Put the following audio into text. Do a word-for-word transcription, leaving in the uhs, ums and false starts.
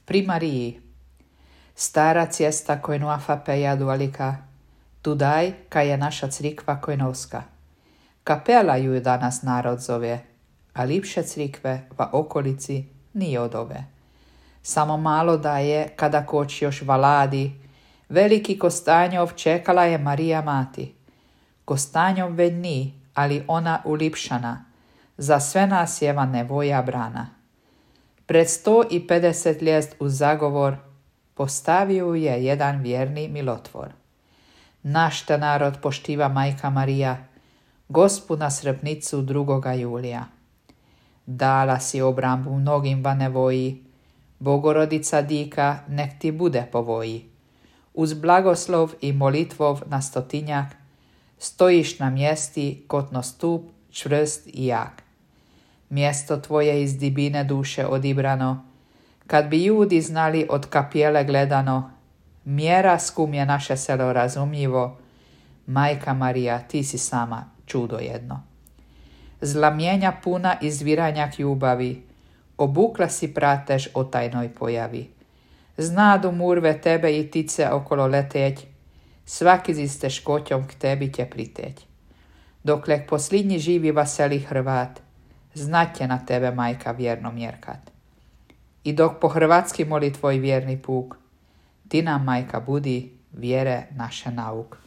Pri Mariji. Stara cesta koju afapeja dualika, tudaj kaj je naša crikva kojnovska. Kapela ju danas narod zove, a lipše crikve v okolici nije od ove. Samo malo da je, kada koč još valadi, veliki Kostanjov čekala je Marija mati. Kostanjov već ni, ali ona ulipšana, za sve nas jeva nevoja brana. Pred sto i pedeset ljet u zagovor postavio je jedan vjerni milotvor. Naš te narod poštiva majka Marija, Gospu na srebnicu drugoga julija. Dala si obrambu mnogim va nevoji, Bogorodica dika nek ti bude povoji. Uz blagoslov i molitvov na stotinjak, stojiš na mjesti kotno stup, čvrst i jak. Mjesto tvoje iz dibine duše odibrano, kad bi ljudi znali od kapijele gledano, mjera skum je naše selo razumljivo, Majka Marija, ti si sama čudo jedno. Zlamjenja puna izviranjak ljubavi, obukla si pratež o tajnoj pojavi. Znadu murve tebe i tice okolo leteć, svaki zi s teškoćom k tebi će priteć. Dokle posljednji živi vaseli Hrvat, znat će na tebe majka vjerno mjerkat. I dok po hrvatski moli tvoj vjerni puk, ti nam majka budi vjere naše nauk.